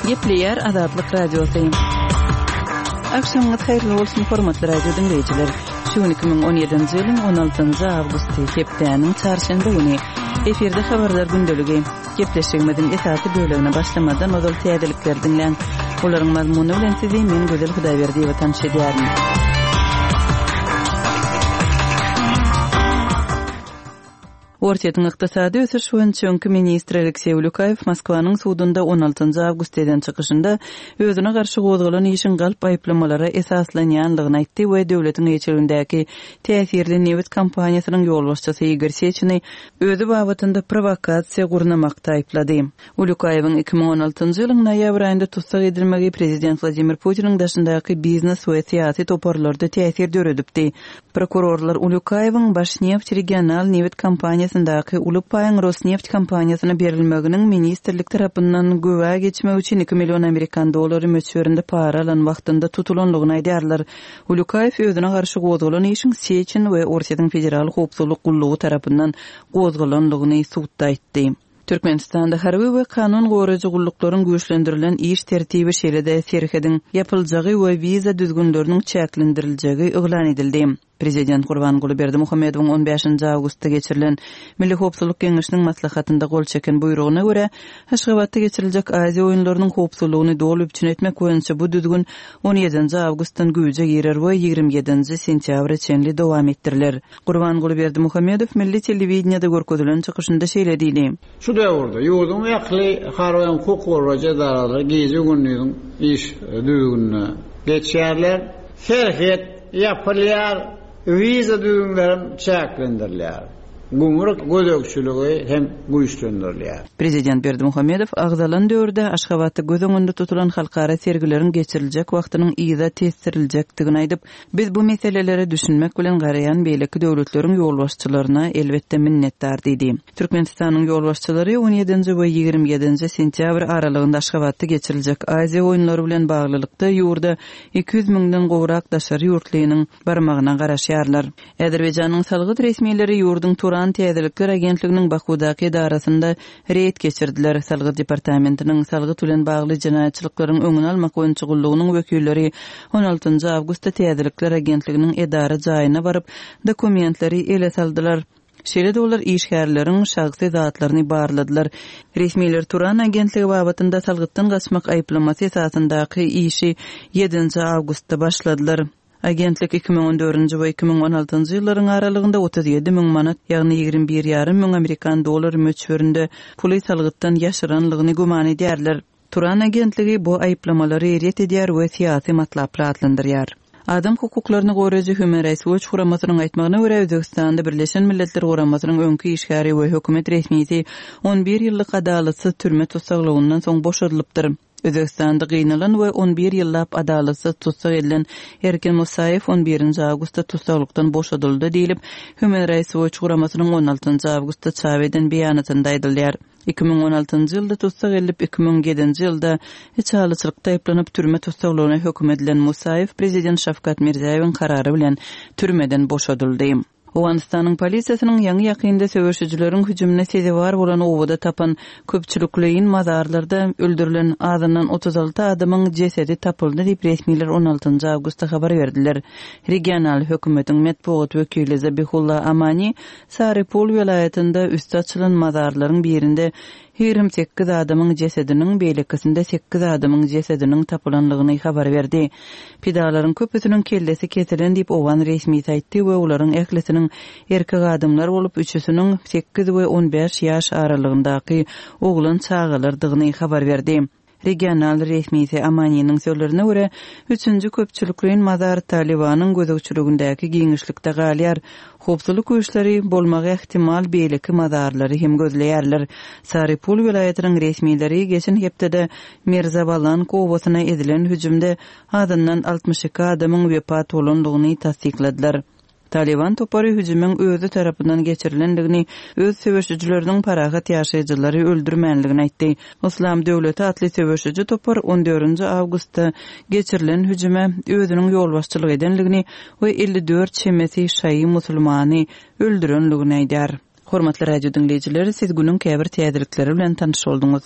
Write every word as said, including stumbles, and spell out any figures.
Gepleýär Azatlyk Radiosy. Agşamyňyz haýyrly bolsun, hormatly radio diňleýjiler. Şu gün iki müň on ýedinji ýylyň on altynjy awgusty, hepdäniň çarşenbe güni. Efirde habarlar gündeligi. Gepleşigimiziň esasy bölegine başlamadan ozal täzelikleri diňläň. Olaryň mazmuny bilen sizi men Gözel Hudaýberdiýewa tanyş edýärin. Orsýetiň ykdysady ösüş boýunça öňki ministri Alekseý Ulýukaýew Moskwanyň sudunda on altynjy awgustda eden çykyşynda özüne garşy gozgalan işiň galp aýyplamalara esaslanýanlygyny aýtdy we döwletiň eýeçiligindäki täsirli nebit kompaniýasynyň ýolbaşçysy Igor Seçini özi babatynda prowokasiýa gurnamakda aýyplady. Ulýukaýewiň iki müň on altynjy ýylyň noýabr aýynda tussag edilmegi prezident Wladimir Putiniň daşyndaky biznes we syýasy toparlarda täsir döredipdi. Prokurorlar Ulýukaýewiň Başneft regional nebit kompaniýasyndaky uly paýyň Rosneft kompaniýasyna berilmeginiň ministrlik tarapyndan güwä geçmek üçin iki million amerikan dollary möçberinde para alan wagtynda tutulanlygyny aýdýarlar. Ulýukaýew özüne garşy gozgalan işiň Seçin we Orsýetiň Federal howpsuzlyk gullugy tarapyndan gozgalanlygyny sudda aýtdy. Türkmenistanda harby we kanun goraýjy gulluklaryň güýçlendirilen iş tertibi şeýle-de serhediň ýapyljagy we wiza düzgünleriniň çäklendiriljegi yglan edildi. Prezident Gurbanguly Berdimuhamedowyň on bäşinji awgustda geçirilen Milli Howpsuzlyk Geňeşiniň maslahatynda gol çeken buýrugyna görä, Aşgabatda geçiriljek Aziýa oýunlarynyň howpsuzlygyny doly üpjün etmek boýunça bu düzgün on ýedinji awgustdan güýje girer we ýigrimi ýedinji sentýabra çenli dowam etdiriler. Gurbanguly Berdimuhamedow milli telewideniýede görkezilen çykyşynda şeýle diýdi. Şu döwürde ýurduň ähli harby hukuk goraýjy edaralary gije-gündiziň iş düzgünine geçýärler. Serhet ýapylýar, wiza düzgünleri çäklendirilýär. Gümrük gözegçiligi hem güýçlendirilýär. Prezident Berdimuhamedow agzalan döwürde Aşgabatda göz öňünde tutulan halkara sergileriň geçiriljek wagtynyň yza tesdiriljekdigini aýdyp, biz bu meselelere düşünmek bilen garaýan beýleki döwletleriň ýolbaşçylaryna elbetde minnetdar diýdi. Türkmenistanyň ýolbaşçylary on ýedinji we ýigrimi ýedinji sentýabr aralygynda Aşgabatda geçiriljek Aziýa oýunlary bilen baglylykda ýurda iki ýüz müňden gowrak daşary ýurtlynyň barmagyna garaşýarlar. Azerbaýjanyň salgyt resmileri ýurduň Turan Täzelikler Agentliginiň Bakudaky edarasynda reýd geçirdiler. Salgyt departamentiniň salgyt bilen bagly jenaýatçylyklaryň öňüni almak boýunça gullugynyň wekilleri on altynjy awgustda Täzelikler Agentliginiň edara jaýyna baryp dokumentleri ele saldylar. Şeýle-de olar işgärleriň şahsy zatlaryny barladylar. Resmiler Turan agentligi babatynda salgytdan gaçmak aýyplamasy esasyndaky işi ýedinji awgustda başladylar. Agentlik iki müň on dördünji we iki müň on altynjy ýyllaryň aralygynda otuz ýedi müň manat, ýagny ýigrimi bir ýarym müň amerikan dollary möçberinde puly salgytdan ýaşyranlygyny güman edýärler. Turan agentligi bu aýyplamalary ret edýär we syýasy matlaply atlandyrýar. Adam hukuklaryny goraýjy Human Rights Watch guramasynyň aýtmagyna görä, Özbegistanda Birleşen Milletler Guramasynyň öňki işgäri we hökümet resmisi on bir ýyllyk adalatsyz türme tussaglygyndan soň boşadylypdyr. Özbegistanda gynalan we on bir ýyllap adalatsyz tussag edilen Erkin Musaýew on birinji awgustda tussaglykdan boşadyldy diýlip, Human Rights Watch guramasynyň on altynjy awgustda çap eden beýanatynda aýdylýar. Iki müň on altynjy ýylda tussag edilip, iki müň ýedinji ýylda içalyçylykda aýyplanyp türme tussaglygyna höküm edilen Musaýew prezident Şawkat Mirziýoýewiň karary bilen türmeden boşadyldy. Owganystanyň polisiýasynyň ýaňy ýakynda söweşijileriň hüjümine sezewar bolan owada tapan köpçülikleýin mazarlarda öldürilen azyndan otuz alty adamyň jesedi tapyldy diýip resmiler on altynjy awgustda habar berdiler. Regional hökümetiň metbugat wekili Zabihulla Amani Saripul welaýatynda üsti açylan mazarlaryň birinde ýigrimi sekiz adamyň jesediniň, beýlekisinde sekiz adamyň jesediniň tapylanlygyny habar berdi. Pidalaryň köpüsiniň kellesi kesilen diýip Owgan resmisi aýtdy we olaryň ählisiniň erkek adamlar bolup, üçüsiniň sekiz we on bäş ýaş aralygyndaky oglan çagalardygyny habar berdi. Regional resmisi Amaniniň sözlerine görä, üçünji köpçülikleýin mazar Talibanyň gözegçiligindäki giňişlikde galýar. Howpsuzlyk güýçleri bolmagy ähtimal beýleki mazarlary hem gözleýärler. Saripul welaýatynyň resmileri geçen hepdede Mirzabalan obasyna edilen hüjümde azyndan altmyş iki adamyň wepat bolandygyny tassykladylar. Taliban topary hüjümiň özi tarapyndan geçirilendigini, öz söweşijileriniň parahat ýaşaýjylary öldürmänligini aýtdy. Islam döwleti atly söweşiji topar on dördünji awgustda geçirilen hüjüme özüniň ýolbaşçylyk edenligini we elli dört çemesi şaýy musulmany öldürenligini aýdar. Hormatly radio diňleýjiler, siz günüň käbir täzelikleri bilen tanyş bolduňyz.